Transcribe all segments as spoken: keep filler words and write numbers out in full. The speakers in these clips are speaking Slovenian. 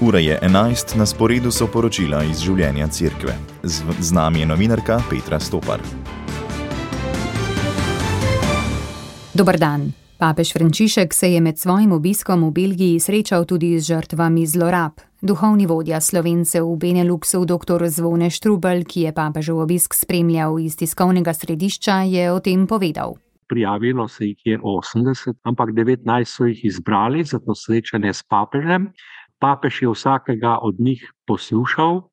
Ura je enajst, na sporedu so poročila iz življenja cerkve. Z, z nami je novinarka Petra Stopar. Dober dan. Papež Frančišek se je med svojim obiskom v Belgiji srečal tudi z žrtvami zlorab. Duhovni vodja Slovencev v Beneluxu, doktor Zvone Štrukelj, ki je papežev obisk spremljal iz tiskovnega središča, je o tem povedal. Prijavilo se jih je osemdeset, ampak devetnajst so jih izbrali za to srečanje s papežem. Papež je vsakega od njih poslušal,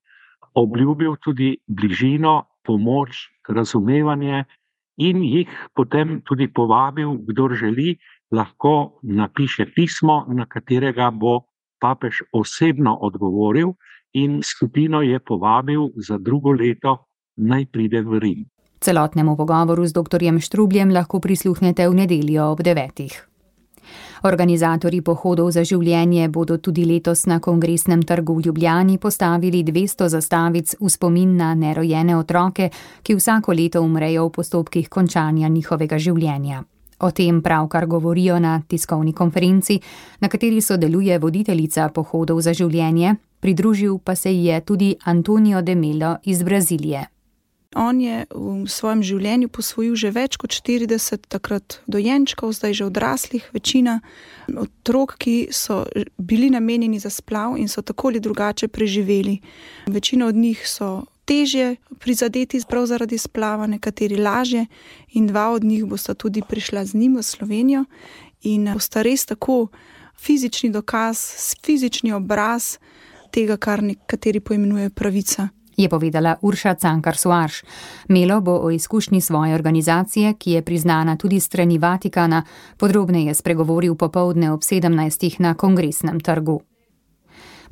obljubil tudi bližino, pomoč, razumevanje in jih potem tudi povabil, kdor želi, lahko napiše pismo, na katerega bo papež osebno odgovoril, in skupino je povabil za drugo leto, naj pride v Rim. Celotnemu pogovoru z doktorjem Štrukljem lahko prisluhnete v nedeljo ob devetih. Organizatorji pohodov za življenje bodo tudi letos na Kongresnem trgu v Ljubljani postavili dvesto zastavic v spomin na nerojene otroke, ki vsako leto umrejo v postopkih končanja njihovega življenja. O tem pravkar govorijo na tiskovni konferenci, na kateri sodeluje voditeljica pohodov za življenje, pridružil pa se je tudi Antonio de Melo iz Brazilije. On je v svojem življenju posvojil že več kot štirideset takrat dojenčkov, zdaj že odraslih, večina otrok, ki so bili namenjeni za splav in so tako ali drugače preživeli. Večina od njih so težje prizadeti prav zaradi splava, nekateri lažje, in dva od njih bosta tudi prišla z njim v Slovenijo in bosta res tako fizični dokaz, fizični obraz tega, kar nekateri poimenujejo pravica. Je povedala Urša Cankar-Soares. Melo bo o izkušnji svoje organizacije, ki je priznana tudi strani Vatikana, podrobneje spregovoril popoldne ob sedemnajstih na Kongresnem trgu.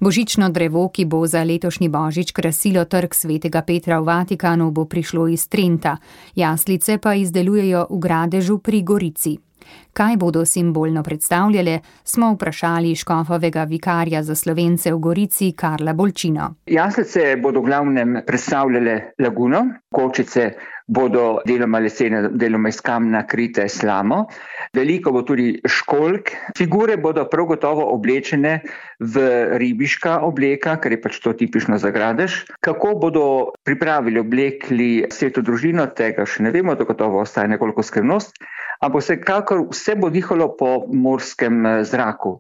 Božično drevo, ki bo za letošnji božič krasilo trg Svetega Petra v Vatikanu, bo prišlo iz Trenta. Jaslice pa izdelujejo v Gradežu pri Gorici. Kaj bodo simbolno predstavljale, smo vprašali škofovega vikarja za Slovence v Gorici Karla Bolčino. Jaslice bodo v glavnem predstavljale laguno, kočice bodo deloma lesene, deloma iz kamna krite slamo, veliko bo tudi školjk, figure bodo prav gotovo oblečene v ribiška obleka, ker je pač to tipično za Gradež. Kako bodo pripravili, oblekli sveto družino, tega še ne vemo, to gotovo ostaje nekoliko skrivnost, ampak vsekakor vse bo dihalo po morskem zraku.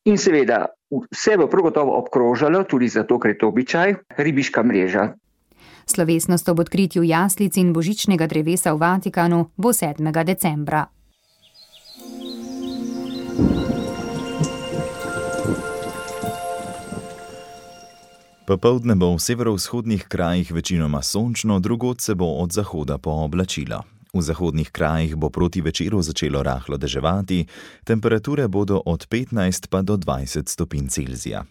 In seveda, vse bo prav gotovo obkrožalo, tudi zato, ker je to običaj, ribiška mreža. Slovesnost ob odkritju jaslic in božičnega drevesa v Vatikanu bo sedmega decembra. Popoldne bo v severovzhodnih krajih večinoma sončno, drugod se bo od zahoda pooblačilo. V zahodnih krajih bo proti večeru začelo rahlo deževati, temperature bodo od petnajst pa do dvajset stopinj Celzija.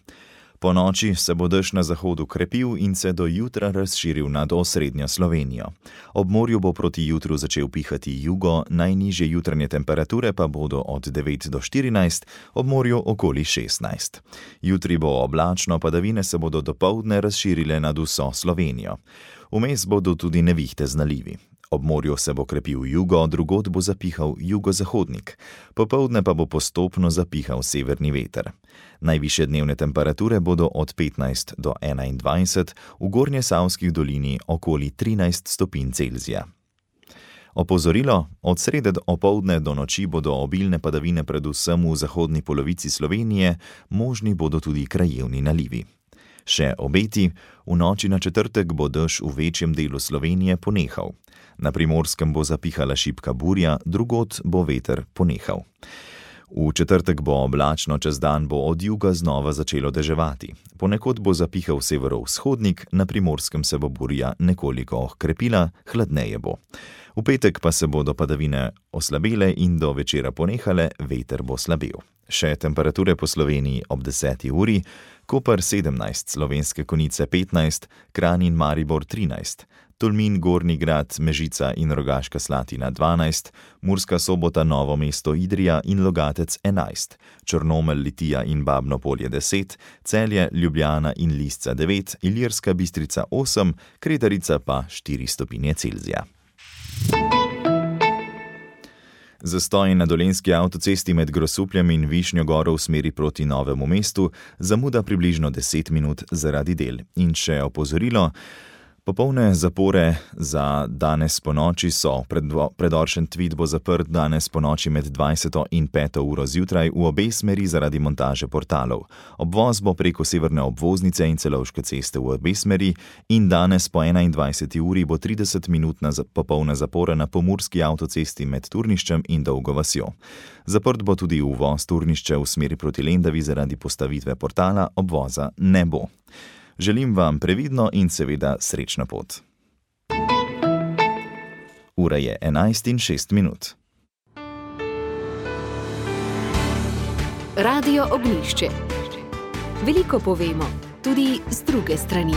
Po noči se bo dež na zahodu krepil in se do jutra razširil nad osrednjo Slovenijo. Ob morju bo proti jutru začel pihati jugo, najnižje jutranje temperature pa bodo od devet do štirinajst, ob morju okoli šestnajst. Jutri bo oblačno, padavine se bodo dopoldne razširile nad vso Slovenijo. Vmes bodo tudi nevihte z nalivi. Ob morju se bo krepil jugo, drugod bo zapihal jugozahodnik. Popoldne pa bo postopno zapihal severni veter. Najvišje dnevne temperature bodo od petnajst do enaindvajset, v Gornjesavskih dolini okoli trinajst stopinj Celzija. Opozorilo, od srede opoldne do noči bodo obilne padavine predvsem v zahodni polovici Slovenije, možni bodo tudi krajevni nalivi. Še obeti, v noči na četrtek bo dež v večjem delu Slovenije ponehal. Na Primorskem bo zapihala šibka burja, drugod bo veter ponehal. V četrtek bo oblačno, čez dan bo od juga znova začelo deževati. Ponekod bo zapihal severovzhodnik, na Primorskem se bo burja nekoliko okrepila, hladneje bo. V petek pa se bodo padavine oslabele in do večera ponehale, veter bo slabel. Še temperature po Sloveniji ob deseti uri, Koper sedemnajst, Slovenske Konjice petnajst, Kranj in Maribor trinajst, Tolmin, Gornji Grad, Mežica in Rogaška Slatina dvanajst, Murska Sobota, Novo mesto, Idrija in Logatec enajst, Črnomelj, Litija in Babno Polje deset, Celje, Ljubljana in Lisca devet, Ilirska Bistrica osem, Kredarica pa štiri stopinje Celzija. Zastoj na dolenjski avtocesti med Grosupljem in Višnjo Goro v smeri proti Novemu mestu, zamuda približno deset minut zaradi del. In še opozorilo, popolne zapore za danes ponoči so. Predor Šentvid bo zaprt danes ponoči med dvajseto in peto uro zjutraj v obe smeri zaradi montaže portalov. Obvoz bo preko severne obvoznice in Celovške ceste v obe smeri in danes po enaindvajseti uri bo trideset minutna popolna zapora na pomurski avtocesti med Turniščem in Dolgo vasjo. Zaprt bo tudi uvoz Turnišče v smeri proti Lendavi zaradi postavitve portala, obvoza ne bo. Želim vam previdno in seveda srečno pot. Ura je enajst in šest minut. Radio Ognjišče. Veliko povemo, tudi z druge strani.